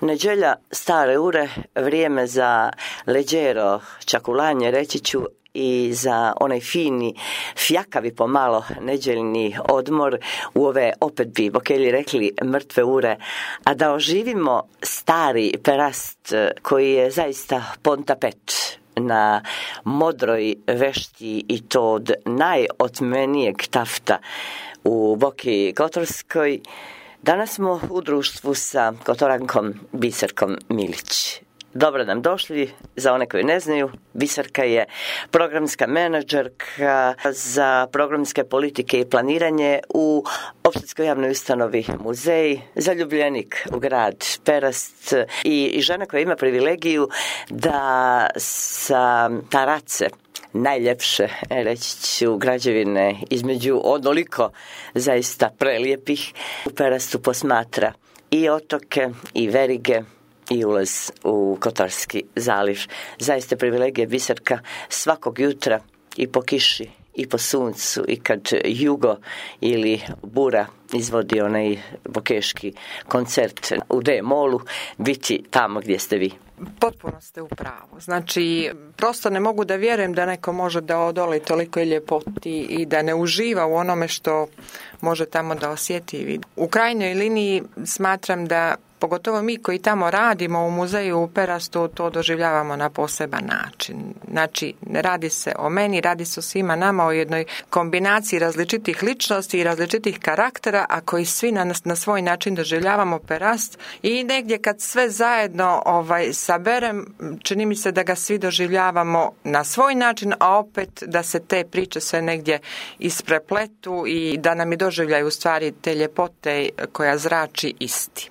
Neđelja stare ure, vrijeme za leđero čakulanje, reći ću, i za onaj fini, fjakavi pomalo neđeljni odmor u ove, opet bi Bokelji rekli, mrtve ure, a da oživimo stari perast koji je zaista pontapet na modroj vešti i to od najotmenijeg tafta u Boki Kotorskoj. Danas smo u društvu sa Kotorankom Biserkom Milić. Dobro nam došli, za one koji ne znaju, Biserka je programska menadžerka za programske politike i planiranje u opštinskoj javnoj ustanovi Muzej, zaljubljenik u grad Perast i žena koja ima privilegiju da sa Tarace, najljepše, reći ću, građevine između onoliko zaista prelijepih, u Perastu posmatra i otoke i verige i ulaz u Kotorski zaliv. Zaista privilegija Biserka svakog jutra i po kiši i po suncu i kad jugo ili bura izvodi onaj bokeški koncert u D-molu, biti tamo gdje ste vi. Potpuno ste u pravu. Znači, prosto ne mogu da vjerujem da neko može da odoli toliko ljepoti i da ne uživa u onome što može tamo da osjeti i vidi. U krajnjoj liniji smatram da pogotovo mi koji tamo radimo u muzeju u Perastu to doživljavamo na poseban način. Znači, ne radi se o meni, radi se o svima nama, o jednoj kombinaciji različitih ličnosti i različitih karaktera, a koji svi na svoj način doživljavamo Perast i negdje kad sve zajedno saberem, čini mi se da ga svi doživljavamo na svoj način, a opet da se te priče sve negdje isprepletu i da nam i doživljaju u stvari te ljepote koja zrači isti.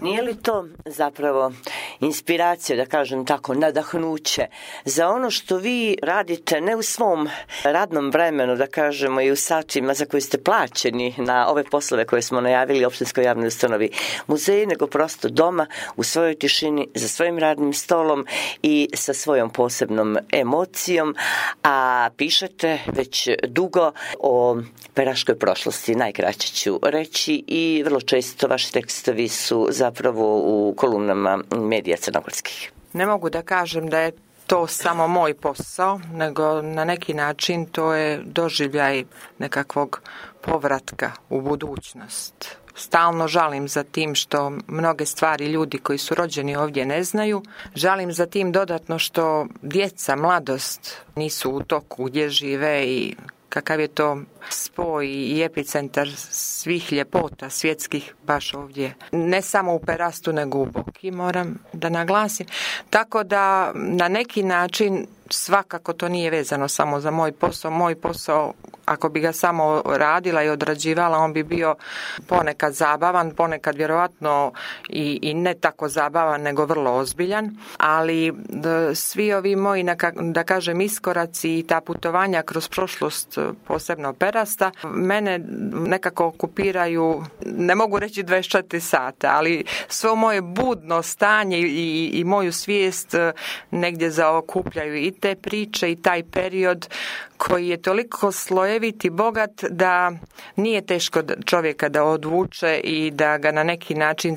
Nije li to zapravo inspiracija, da kažem tako, nadahnuće za ono što vi radite ne u svom radnom vremenu, da kažemo, i u satima za koje ste plaćeni na ove poslove koje smo najavili opštinskoj javnoj ustanovi Muzeji, nego prosto doma, u svojoj tišini, za svojim radnim stolom i sa svojom posebnom emocijom, a pišete već dugo o peraškoj prošlosti, najkraće ću reći, i vrlo često vaši tekstovi su zapravo u kolumnama medija crnogorskih. Ne mogu da kažem da je to samo moj posao, nego na neki način to je doživljaj nekakvog povratka u budućnost. Stalno žalim za tim što mnoge stvari ljudi koji su rođeni ovdje ne znaju. Žalim za tim dodatno što djeca, mladost nisu u toku gdje žive i kakav je to spoj i epicentar svih ljepota svjetskih baš ovdje. Ne samo u Perastu, nego u Boki, moram da naglasim. Tako da na neki način svakako to nije vezano samo za moj posao. Moj posao, ako bi ga samo radila i odrađivala, on bi bio ponekad zabavan, ponekad vjerojatno i ne tako zabavan, nego vrlo ozbiljan. Ali svi ovi moji, da kažem, iskoraci i ta putovanja kroz prošlost, posebno Perasta, mene nekako okupiraju, ne mogu reći 24 sata, ali svo moje budno stanje i moju svijest negdje zaokupljaju i te priče i taj period koji je toliko slojevit i bogat da nije teško čovjeka da odvuče i da ga na neki način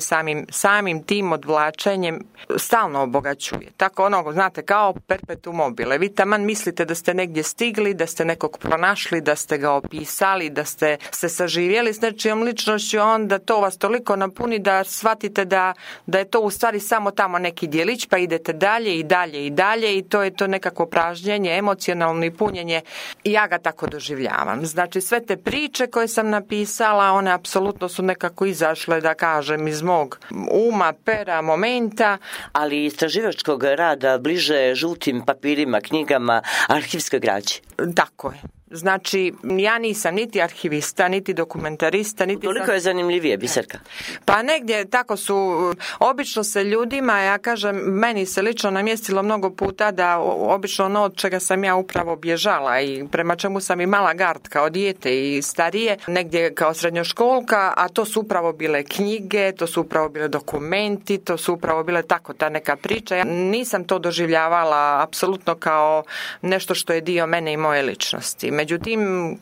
samim tim odvlačenjem stalno obogaćuje. Tako znate, kao perpetuum mobile. Vi taman mislite da ste negdje stigli, da ste nekog pronašli, da ste ga opisali, da ste se saživjeli s nečijom ličnošću, onda to vas toliko napuni da shvatite da je to u stvari samo tamo neki djelić, pa idete dalje i dalje i dalje i to je to nekako pražnjenje, emocionalno i punjenje. I ja ga tako doživljavam. Znači, sve te priče koje sam napisala, one apsolutno su nekako izašle, da kažem, iz mog uma, pera, momenta. Ali istraživačkog rada bliže žutim papirima, knjigama, arhivskoj građi. Tako je. Znači, ja nisam niti arhivista, niti dokumentarista, niti... Koliko je zanimljivije, Biserka? Pa negdje tako su, obično se ljudima, ja kažem, meni se lično namjestilo mnogo puta da obično ono od čega sam ja upravo bježala i prema čemu sam imala gard kao dijete i starije, negdje kao srednjoškolka, a to su upravo bile knjige, to su upravo bile dokumenti, to su upravo bile tako ta neka priča. Ja nisam to doživljavala apsolutno kao nešto što je dio mene i moje ličnosti. Međutim,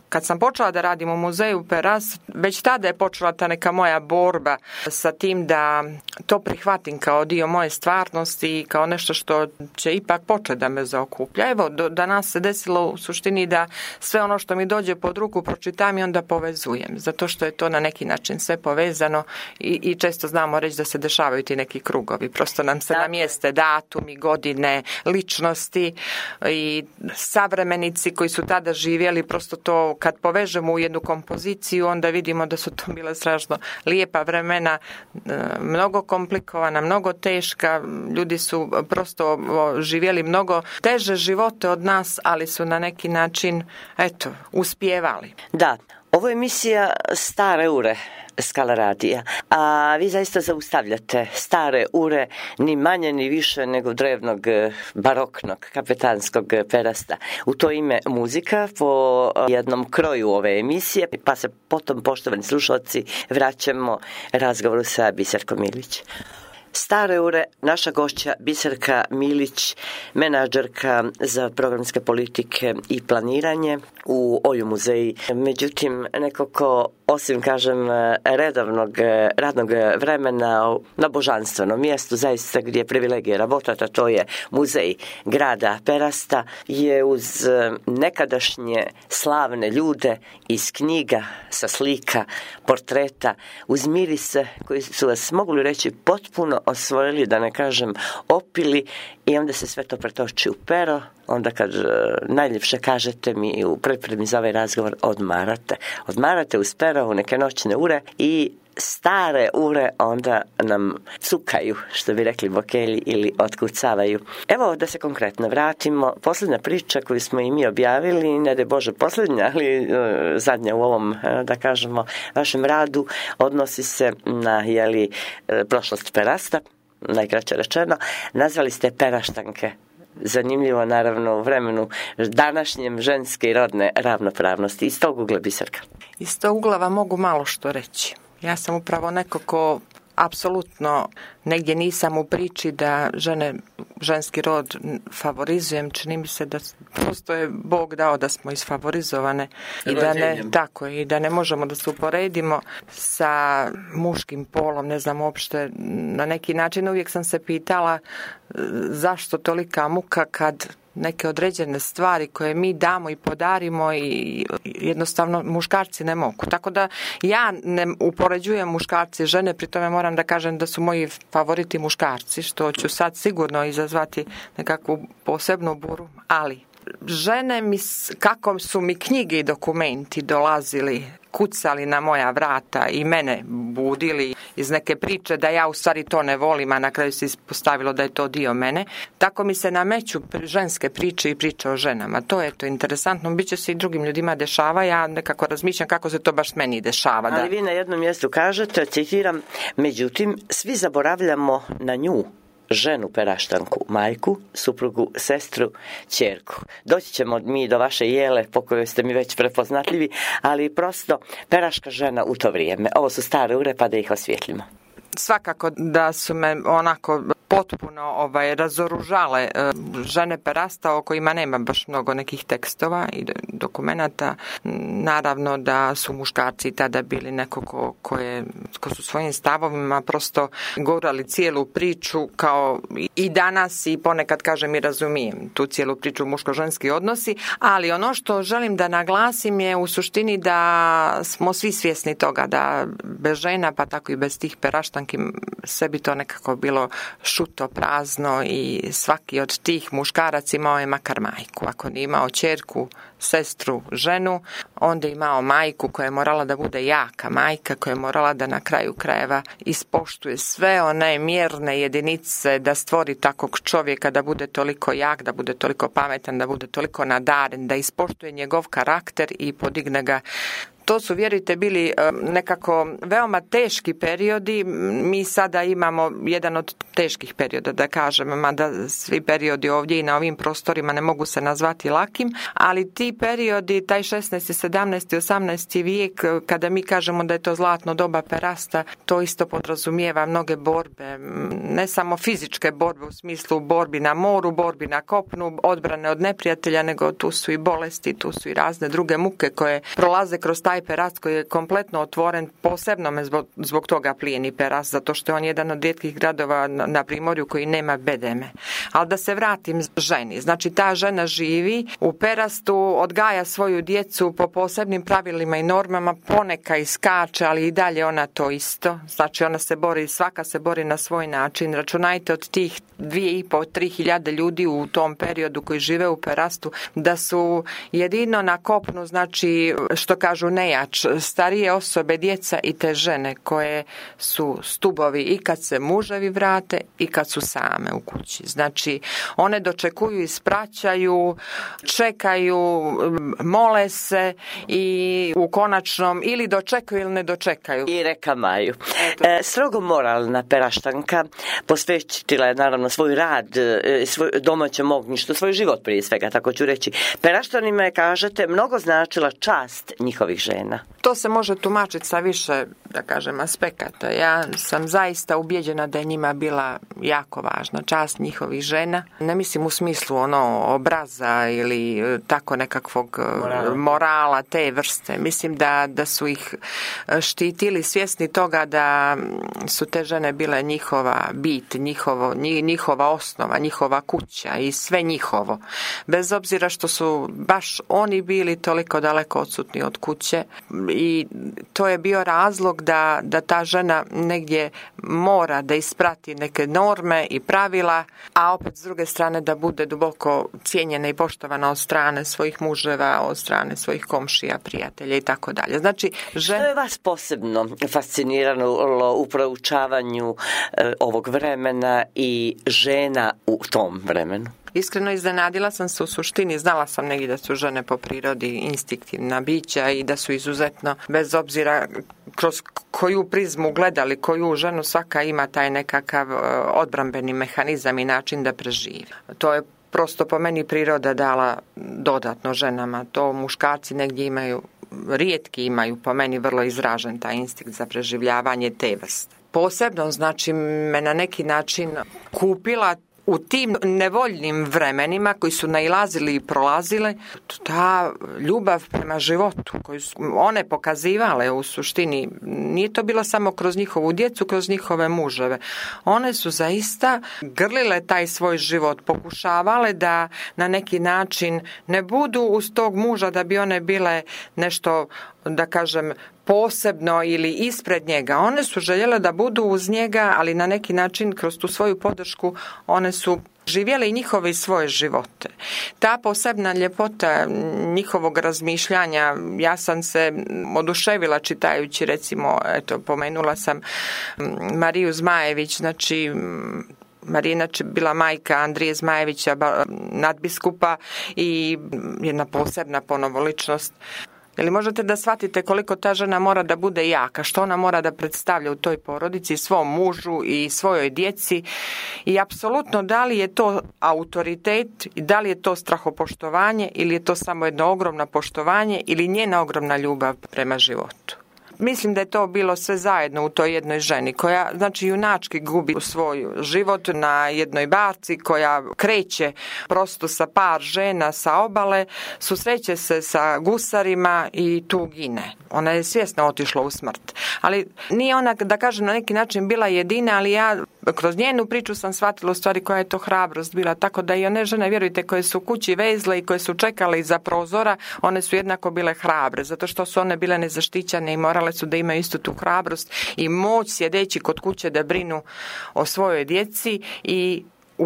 kad sam počela da radim u muzeju Perast, već tada je počela ta neka moja borba sa tim da to prihvatim kao dio moje stvarnosti i kao nešto što će ipak početi da me zaokuplja. Evo, danas se desilo u suštini da sve ono što mi dođe pod ruku pročitam i onda povezujem, zato što je to na neki način sve povezano i često znamo reći da se dešavaju ti neki krugovi. Prosto nam se namjeste datumi, godine, ličnosti i savremenici koji su tada živjeli, prosto to kad povežemo u jednu kompoziciju, onda vidimo da su to bile strašno lijepa vremena, mnogo komplikovana, mnogo teška, ljudi su prosto živjeli mnogo teže živote od nas, ali su na neki način, uspijevali. Da, ovo je emisija Stare ure Skala radija, a vi zaista zaustavljate stare ure ni manje ni više nego drevnog baroknog kapetanskog Perasta. U to ime muzika po jednom kroju ove emisije, pa se potom, poštovani slušalci, vraćamo razgovoru sa Biserkom Milić. Stare ure, naša gošća Biserka Milić, menadžerka za programske politike i planiranje u Oju muzeji. Međutim, neko ko osim, kažem, redovnog radnog vremena na božanstvenom mjestu, zaista gdje je privilegija rabotati, a to je muzej grada Perasta, je uz nekadašnje slavne ljude iz knjiga, sa slika, portreta, uz mirise koji su vas, mogli reći, potpuno osvojili, da ne kažem opili, i onda se sve to pretoči u pero. Onda kad najljepše kažete mi u pripremi za ovaj razgovor, odmarate uz pero u neke noćne ure i stare ure onda nam cukaju, što bi rekli bokelji, ili otkucavaju. Evo da se konkretno vratimo. Posljednja priča koju smo i mi objavili, ne daj Bože posljednja, ali zadnja u ovom, da kažemo, vašem radu, odnosi se na prošlost Perasta, najkraće rečeno. Nazvali ste Peraštanke. Zanimljivo, naravno, u vremenu današnjem ženske i rodne ravnopravnosti. Iz tog ugla, Biserka. Iz tog ugla vam mogu malo što reći. Ja sam upravo neko ko apsolutno negdje nisam u priči da ženski rod favorizujem. Čini mi se da prosto je Bog dao da smo isfavorizovane i da ne možemo da se uporedimo sa muškim polom. Ne znam uopšte, na neki način uvijek sam se pitala zašto tolika muka kad neke određene stvari koje mi damo i podarimo i jednostavno muškarci ne mogu. Tako da ja ne upoređujem muškarci i žene, pri tome moram da kažem da su moji favoriti muškarci, što ću sad sigurno izazvati nekakvu posebnu buru, ali žene kako su mi knjige i dokumenti dolazili, kucali na moja vrata i mene budili iz neke priče da ja u stvari to ne volim, a na kraju se ispostavilo da je to dio mene, tako mi se nameću ženske priče i priče o ženama. To je to interesantno, bit će se i drugim ljudima dešava, ja nekako razmišljam kako se to baš meni dešava. Ali vi na jednom mjestu kažete, citiram, međutim, svi zaboravljamo na nju, ženu Peraštanku, majku, suprugu, sestru, ćerku. Doći ćemo mi do vaše Jele, po kojoj ste mi već prepoznatljivi, ali prosto peraška žena u to vrijeme. Ovo su stare ure, pa da ih osvijetlimo. Svakako da su me onako potpuno razoružale žene Perasta, o kojima nema baš mnogo nekih tekstova i dokumenata. Naravno da su muškarci tada bili neko ko su svojim stavovima prosto gurali cijelu priču, kao i danas, i ponekad kažem i razumijem tu cijelu priču muško-ženski odnosi, ali ono što želim da naglasim je u suštini da smo svi svjesni toga da bez žena, pa tako i bez tih Peraštanki, sve bi to nekako bilo šuto, prazno, i svaki od tih muškarac imao je makar majku. Ako nije imao ćerku, sestru, ženu, onda je imao majku koja je morala da bude jaka majka, koja je morala da na kraju krajeva ispoštuje sve one mjerne jedinice, da stvori takvog čovjeka, da bude toliko jak, da bude toliko pametan, da bude toliko nadaren, da ispoštuje njegov karakter i podigne ga To su, vjerujte, bili nekako veoma teški periodi. Mi sada imamo jedan od teških perioda, da kažem, mada svi periodi ovdje i na ovim prostorima ne mogu se nazvati lakim, ali ti periodi, taj 16., 17., 18. vijek, kada mi kažemo da je to zlatno doba perasta, to isto podrazumijeva mnoge borbe, ne samo fizičke borbe u smislu borbi na moru, borbi na kopnu, odbrane od neprijatelja, nego tu su i bolesti, tu su i razne druge muke koje prolaze kroz taj perast koji je kompletno otvoren. Posebno me zbog toga plijeni Perast, zato što je on jedan od rijetkih gradova na Primorju koji nema bedeme. Ali da se vratim ženi. Znači, ta žena živi u Perastu, odgaja svoju djecu po posebnim pravilima i normama, poneka iskače, ali i dalje ona to isto. Znači, ona se bori, svaka se bori na svoj način. Računajte od tih 2.500-3.000 ljudi u tom periodu koji žive u Perastu, da su jedino na kopnu, znači, što kažu nejač, starije osobe, djeca i te žene koje su stubovi i kad se muževi vrate i kad su same u kući. Znači, one dočekuju, ispraćaju, čekaju, mole se i u konačnom ili dočekaju ili ne dočekaju. I rekamaju. Strogo moralna Peraštanka, posvećila je naravno svoj rad, svoj domaćem ognjištu, svoj život prije svega, tako ću reći. Peraštanima je, kažete, mnogo značila čast njihovih žena. To se može tumačiti sa više, da kažem, aspekata. Ja sam zaista ubjeđena da je njima bila jako važna čast njihovih žena. Ne mislim u smislu obraza ili tako nekakvog morala te vrste. Mislim da su ih štitili svjesni toga da su te žene bile njihova bit, njihova osnova, njihova kuća i sve njihovo. Bez obzira što su baš oni bili toliko daleko odsutni od kuće, i to je bio razlog da ta žena negdje mora da isprati neke norme i pravila, a opet s druge strane da bude duboko cijenjena i poštovana od strane svojih muževa, od strane svojih komšija, prijatelja i tako dalje. Znači, što je vas posebno fasciniralo u proučavanju ovog vremena i žena u tom vremenu? Iskreno iznenadila sam se u suštini, znala sam negdje da su žene po prirodi instinktivna bića i da su izuzetno, bez obzira kroz koju prizmu gledali, koju ženu, svaka ima taj nekakav odbrambeni mehanizam i način da preživi. To je prosto po meni priroda dala dodatno ženama. To muškarci negdje imaju, rijetki imaju po meni vrlo izražen taj instinkt za preživljavanje te vrste. Posebno, znači, me na neki način kupila u tim nevoljnim vremenima koji su nailazili i prolazile, ta ljubav prema životu koju su one pokazivale u suštini, nije to bilo samo kroz njihovu djecu, kroz njihove muževe. One su zaista grlile taj svoj život, pokušavale da na neki način ne budu uz tog muža da bi one bile nešto, da kažem, posebno ili ispred njega. One su željele da budu uz njega, ali na neki način kroz tu svoju podršku one su živjele i njihove i svoje živote. Ta posebna ljepota njihovog razmišljanja, ja sam se oduševila čitajući, recimo, pomenula sam Mariju Zmajević, znači Marija inače bila majka Andrije Zmajevića, nadbiskupa, i jedna posebna ponovo ličnost. Jel možete da shvatite koliko ta žena mora da bude jaka, što ona mora da predstavlja u toj porodici, svom mužu i svojoj djeci, i apsolutno da li je to autoritet i da li je to strahopoštovanje ili je to samo jedno ogromno poštovanje ili njena ogromna ljubav prema životu. Mislim da je to bilo sve zajedno u toj jednoj ženi koja, znači, junački gubi svoj život na jednoj barci koja kreće prosto sa par žena sa obale, susreće se sa gusarima i tu gine. Ona je svjesno otišla u smrt. Ali nije ona, da kažem, na neki način bila jedina, ali ja kroz njenu priču sam shvatila u stvari koja je to hrabrost bila. Tako da i one žene, vjerujte, koje su kući vezle i koje su čekale iza prozora, one su jednako bile hrabre, zato što su one bile nezaštićene i morale su da imaju istu tu hrabrost i moć sjedeći kod kuće da brinu o svojoj djeci i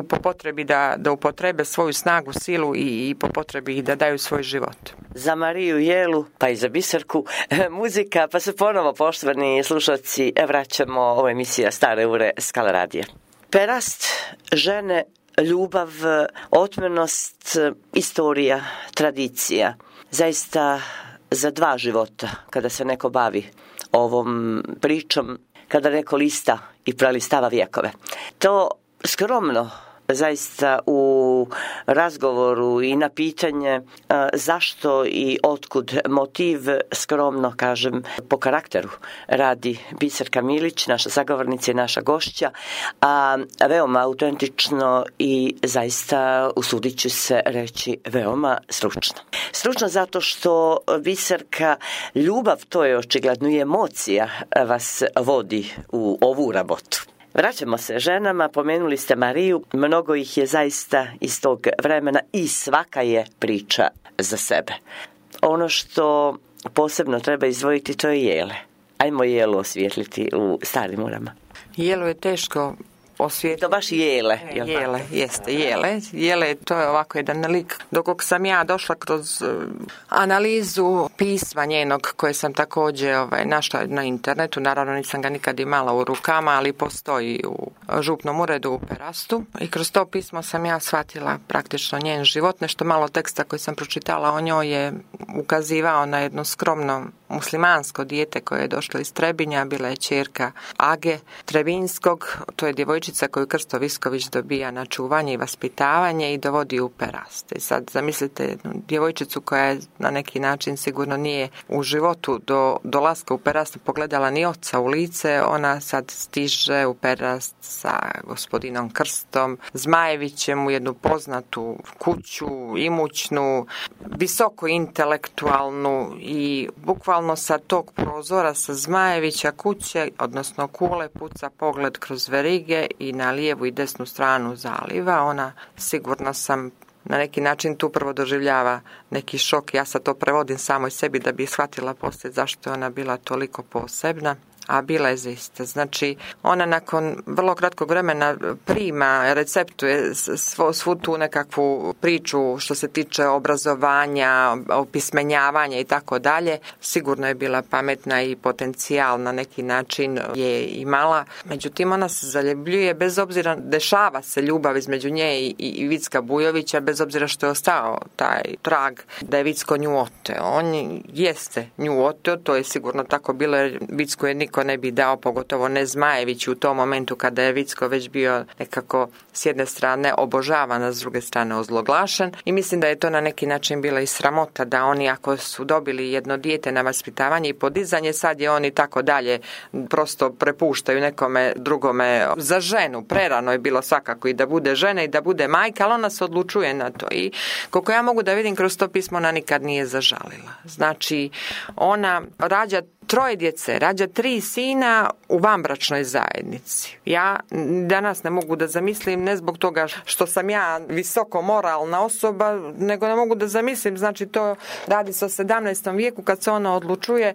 po potrebi da upotrebe svoju snagu, silu i po potrebi da daju svoj život. Za Mariju Jelu, pa i za Biserku, muzika, pa se ponovo, poštovani slušalci, vraćamo ovo emisija Stare ure Skala radija. Perast, žene, ljubav, otmenost, istorija, tradicija. Zaista za 2 života kada se neko bavi ovom pričom, kada neko lista i prelistava vjekove. To skromno zaista u razgovoru i na pitanje zašto i otkud motiv, skromno kažem, po karakteru radi Biserka Milić, naša sagovornica i naša gošća, a veoma autentično i zaista, usudit ću se reći, veoma stručno. Stručno zato što Biserka, ljubav, to je očigledno i emocija, vas vodi u ovu rabotu. Vraćamo se ženama, pomenuli ste Mariju, mnogo ih je zaista iz tog vremena i svaka je priča za sebe. Ono što posebno treba izdvojiti, to je Jele. Ajmo Jelu osvijetliti u Starim Murama. Jelu je teško osvijetliti. To baš Jele. Jele, jeste, Jele. Jele, to je ovako jedan lik. Dok sam ja došla kroz analizu pisma njenog, koje sam također našla na internetu, naravno nisam ga nikad imala u rukama, ali postoji u župnom uredu u Perastu. I kroz to pismo sam ja shvatila praktično njen život. Nešto malo teksta koji sam pročitala o njoj je ukazivao na jedno skromno muslimansko dijete koje je došlo iz Trebinja, bila je ćerka Age Trebinskog, to je djevojčica koju Krsto Visković dobija na čuvanje i vaspitavanje i dovodi u Perast. I sad zamislite jednu djevojčicu koja je na neki način sigurno nije u životu do dolaska u Perast pogledala ni oca u lice, ona sad stiže u Perast sa gospodinom Krstom Zmajevićem u jednu poznatu kuću, imućnu, visoko intelektualnu i bukvalno sa tog prozora sa Zmajevića kuće, odnosno kule, puca pogled kroz verige i na lijevu i desnu stranu zaliva. Ona, sigurno sam, na neki način tu prvo doživljava neki šok. Ja sad to prevodim samoj sebi da bi shvatila poslije zašto je ona bila toliko posebna. A bila je zaista. Znači, ona nakon vrlo kratkog vremena prima, receptuje svu tu nekakvu priču što se tiče obrazovanja, opismenjavanja i tako dalje. Sigurno je bila pametna i potencijal na neki način je imala. Međutim, ona se zaljubljuje bez obzira, dešava se ljubav između nje i Vicka Bujovića, bez obzira što je ostao taj trag da je Vicko nju oteo. On jeste nju oteo, to je sigurno tako bilo jer Vicko je niko ne bi dao, pogotovo ne Zmajević u tom momentu kada je Vicko već bio nekako s jedne strane obožavan, a s druge strane ozloglašen i mislim da je to na neki način bila i sramota da oni ako su dobili jedno dijete na vaspitavanje i podizanje, sad je oni tako dalje prosto prepuštaju nekome drugome za ženu. Prerano je bilo svakako i da bude žena i da bude majka, ali ona se odlučuje na to i koliko ja mogu da vidim kroz to pismo ona nikad nije zažalila. Znači ona rađa 3 djece, rađa 3 sina u vanbračnoj zajednici. Ja danas ne mogu da zamislim, ne zbog toga što sam ja visoko moralna osoba, nego ne mogu da zamislim, znači to radi se o 17. vijeku kad se ona odlučuje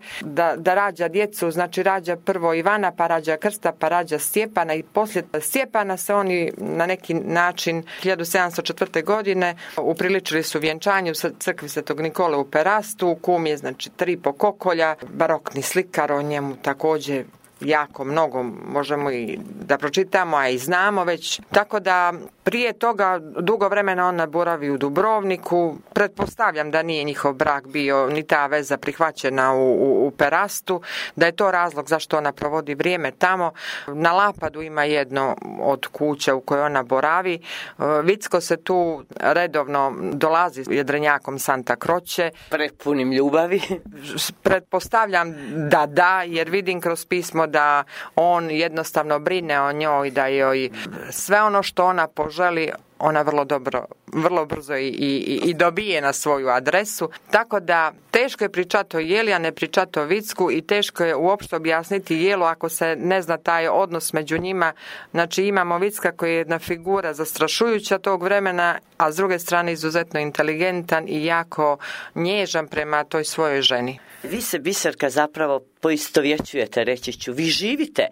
da rađa djecu, znači rađa prvo Ivana, pa rađa Krsta, pa rađa Stjepana i poslije Stjepana se oni na neki način 1704. godine upriličili su vjenčanju u crkvi Svetog Nikole u Perastu, kum je znači 3 pokokolja, barokni slikar, o njemu također jako mnogo možemo i da pročitamo, a i znamo već. Tako da prije toga dugo vremena ona boravi u Dubrovniku. Pretpostavljam da nije njihov brak bio ni ta veza prihvaćena u Perastu, da je to razlog zašto ona provodi vrijeme tamo. Na Lapadu ima jedno od kuća u kojoj ona boravi. Vicko se tu redovno dolazi jedrenjakom Santa Croce. Prepunim ljubavi. Pretpostavljam da, jer vidim kroz pismo da on jednostavno brine o njoj, da joj sve ono što ona poželi ona vrlo brzo i dobije na svoju adresu. Tako da teško je pričati o Jeli, a ne pričati o Vicku i teško je uopšte objasniti Jelu ako se ne zna taj odnos među njima. Znači imamo Vicka koji je jedna figura zastrašujuća tog vremena, a s druge strane izuzetno inteligentan i jako nježan prema toj svojoj ženi. Vi se, Biserka, zapravo poistovjećujete, reći ću. Vi živite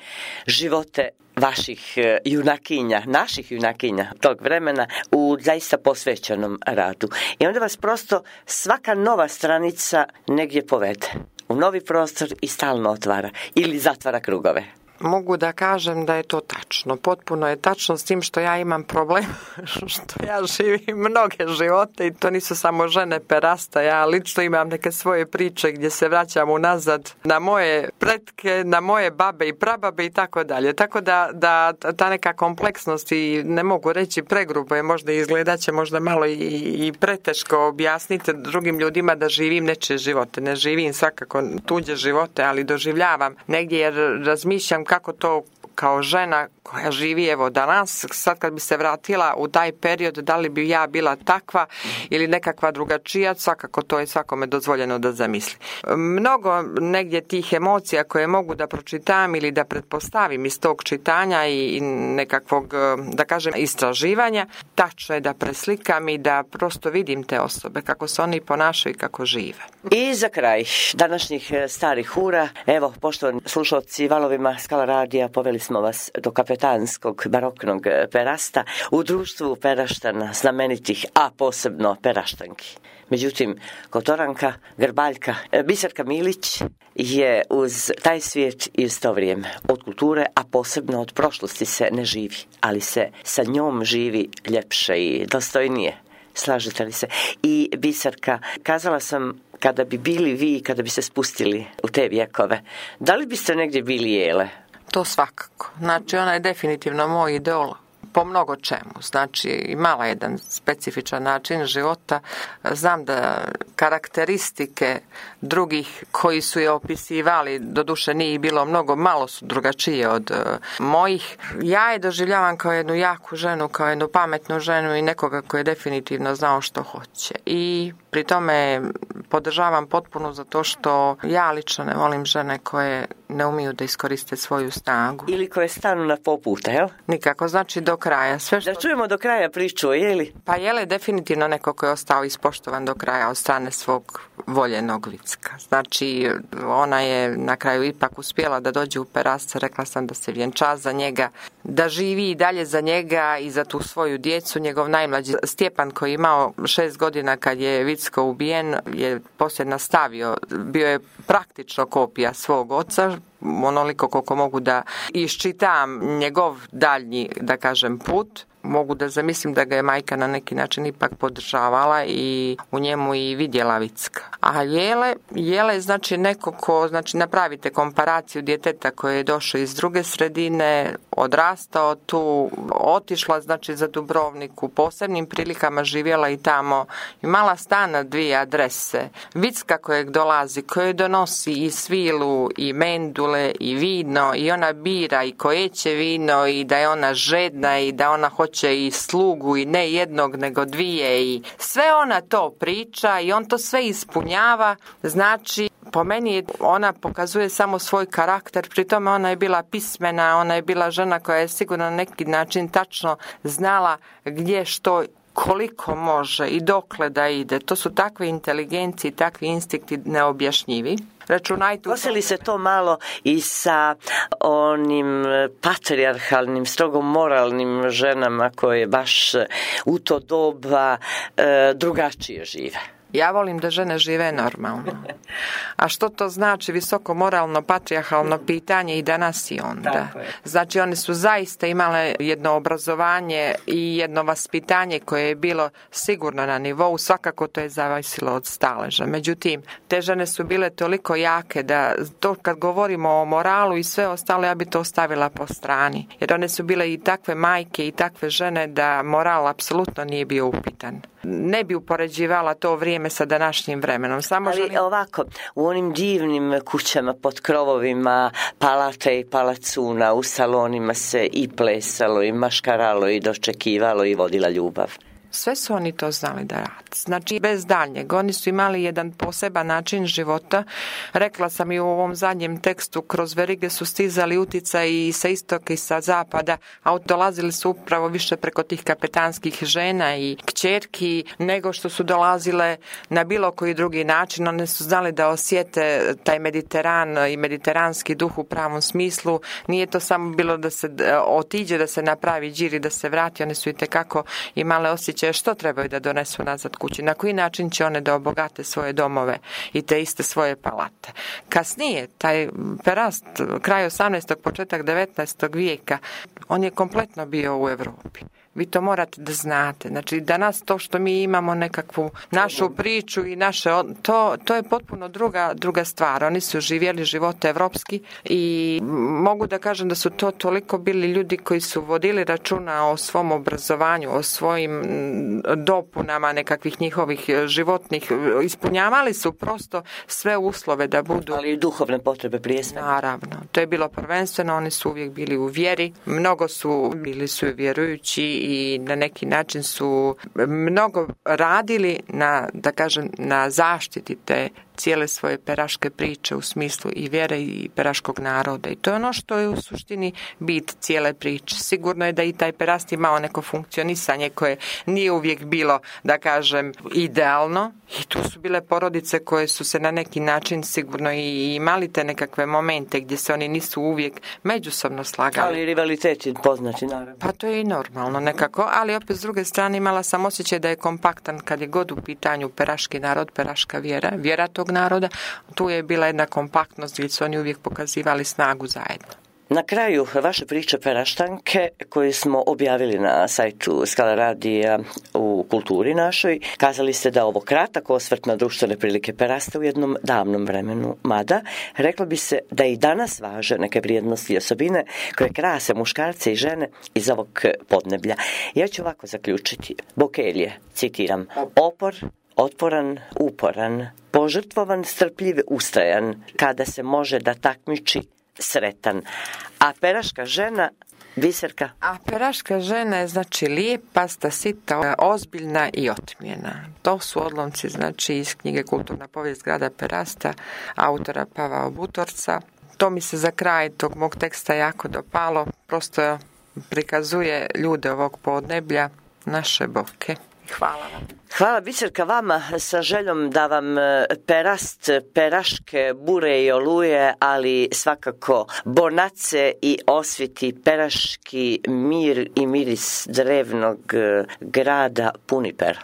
živote vaših junakinja, naših junakinja tog vremena u zaista posvećenom radu. I onda vas prosto svaka nova stranica negdje povede u novi prostor i stalno otvara ili zatvara krugove. Mogu da kažem da je to tačno. Potpuno je tačno, s tim što ja imam problem što ja živim mnoge živote i to nisu samo žene perasta. Ja lično imam neke svoje priče gdje se vraćam unazad na moje pretke, na moje babe i prababe i tako dalje. Tako da ta neka kompleksnost, i ne mogu reći pregrubo je, možda izgledat će možda malo i preteško objasniti drugim ljudima da živim nečije živote. Ne živim svakako tuđe živote, ali doživljavam negdje jer razmišljam kako to kao žena koja živi evo danas, sad kad bi se vratila u taj period, da li bi ja bila takva ili nekakva drugačija, svakako to je svakome dozvoljeno da zamisli. Mnogo negdje tih emocija koje mogu da pročitam ili da pretpostavim iz tog čitanja i nekakvog, da kažem, istraživanja, tačno je da preslikam i da prosto vidim te osobe, kako se oni ponašaju i kako žive. I za kraj današnjih starih ura, evo, poštovani slušalci Valovima Skala radija, poveli smo vas do kapetanskog baroknog perasta u društvu Peraštana, znamenitih, a posebno Peraštanki. Međutim, Kotoranka, Grbaljka, Biserka Milić je uz taj svijet i uz to vrijeme od kulture, a posebno od prošlosti se ne živi, ali se sa njom živi ljepše i dostojnije. Slažete li se? I Biserka, kazala sam, kada bi bili vi, kada bi se spustili u te vjekove, da li biste negdje bili Jele? To svakako. Znači, ona je definitivno moj idol po mnogo čemu. Znači, imala jedan specifičan način života. Znam da karakteristike drugih koji su je opisivali, doduše nije bilo mnogo, malo su drugačije od mojih. Ja je doživljavam kao jednu jaku ženu, kao jednu pametnu ženu i nekoga koji je definitivno znao što hoće. I pri tome podržavam potpuno zato što ja lično ne volim žene koje ne umiju da iskoriste svoju snagu. Ili koje stanu na poputa, jel? Nikako, znači do kraja. Sve što... Da čujemo do kraja priču, jeli? Pa Jele je definitivno neko koji je ostao ispoštovan do kraja od strane svog voljenog Vicka. Znači, ona je na kraju ipak uspjela da dođe u Perast, rekla sam da se vjenča za njega, da živi i dalje za njega i za tu svoju djecu. Njegov najmlađi Stjepan, koji je imao 6 godina kad je Vicko ubijen, je poslije nastavio, bio je praktično kopija svog oca, onoliko koliko mogu da iščitam njegov daljnji, da kažem, put. Mogu da zamislim da ga je majka na neki način ipak podržavala i u njemu i vidjela Vicka. A Jele je znači neko ko, znači napravite komparaciju djeteta koje je došao iz druge sredine, odrastao tu, otišla znači za Dubrovnik, u posebnim prilikama živjela i tamo, imala stan na 2 adrese. Vicka kojeg dolazi, koji donosi i svilu i mendule i vino i ona bira i koje će vino i da je ona žedna i da ona hoće i slugu i ne jednog nego 2 i sve ona to priča i on to sve ispunjava. Znači, po meni ona pokazuje samo svoj karakter, pri tome ona je bila pismena, ona je bila žena koja je sigurno na neki način tačno znala gdje što koliko može i dokle da ide. To su takve inteligencije i takvi instinkti neobjašnjivi. Kosili se to malo i sa onim patrijarhalnim, strogo moralnim ženama koje baš u to doba drugačije žive. Ja volim da žene žive normalno. A što to znači visoko moralno, patrijarhalno pitanje i danas i onda? Znači one su zaista imale jedno obrazovanje i jedno vaspitanje koje je bilo sigurno na nivou, svakako to je zavisilo od staleža. Međutim, te žene su bile toliko jake da to kad govorimo o moralu i sve ostalo, ja bi to ostavila po strani. Jer one su bile i takve majke i takve žene da moral apsolutno nije bio upitan. Ne bi upoređivala to vrijeme sa današnjim vremenom. Ali ovako, u onim divnim kućama pod krovovima palate i palacuna, u salonima se i plesalo i maškaralo i dočekivalo i vodila ljubav. Sve su oni to znali da rade. Znači, bez daljnjeg. Oni su imali jedan poseban način života. Rekla sam i u ovom zadnjem tekstu, kroz verige su stizali uticaji i sa istoka i sa zapada, a dolazili su upravo više preko tih kapetanskih žena i kćerki, nego što su dolazile na bilo koji drugi način. One su znali da osjete taj Mediteran i mediteranski duh u pravom smislu. Nije to samo bilo da se otiđe, da se napravi đir i da se vrati. One su itekako imale osjećaj osjećaja što trebaju da donesu nazad kući, na koji način će one da obogate svoje domove i te iste svoje palate. Kasnije, taj perast, kraj 18. početak 19. vijeka, on je kompletno bio u Europi. Vi to morate da znate. Znači, danas to što mi imamo nekakvu našu priču i naše, to je potpuno druga stvar. Oni su živjeli život evropski i mogu da kažem da su to toliko bili ljudi koji su vodili računa o svom obrazovanju, o svojim dopunama nekakvih njihovih životnih, ispunjavali su prosto sve uslove da budu... Ali i duhovne potrebe prije svega. Naravno. To je bilo prvenstveno, oni su uvijek bili u vjeri, mnogo su bili su vjerujući i na neki način su mnogo radili na zaštiti te cijele svoje peraške priče u smislu i vjere i peraškog naroda. I to je ono što je u suštini bit cijele priče. Sigurno je da i taj perast imao neko funkcionisanje koje nije uvijek bilo, da kažem, idealno. I tu su bile porodice koje su se na neki način sigurno i imali te nekakve momente gdje se oni nisu uvijek međusobno slagali. Ali rivalitet je poznati, naravno. Pa to je i normalno nekako, ali opet s druge strane imala sam osjećaj da je kompaktan kad je god u pitanju peraški narod, peraška vjera tog naroda. Tu je bila jedna kompaktnost gdje su oni uvijek pokazivali snagu zajedno. Na kraju vaše priče Peraštanke koje smo objavili na sajtu Skala radija u kulturi našoj, kazali ste da ovo kratak osvrt na društvene prilike Perasta u jednom davnom vremenu, mada reklo bi se da i danas važe neke vrijednosti i osobine koje krase muškarce i žene iz ovog podneblja. Ja ću ovako zaključiti. Bokelje, citiram, otporan, uporan, požrtvovan, strpljiv, ustrajan, kada se može da takmiči, sretan. A peraška žena, Biserka? A peraška žena je znači lijepa, stasita, ozbiljna i otmjena. To su odlomci znači iz knjige Kulturna povijest grada Perasta, autora Pavao Butorca. To mi se za kraj tog mog teksta jako dopalo. Prosto prikazuje ljude ovog podneblja, naše boke. Hvala vam. Hvala Biserka vama sa željom da vam perast, peraške bure i oluje, ali svakako bonace i osviti peraški mir i miris drevnog grada puni pera.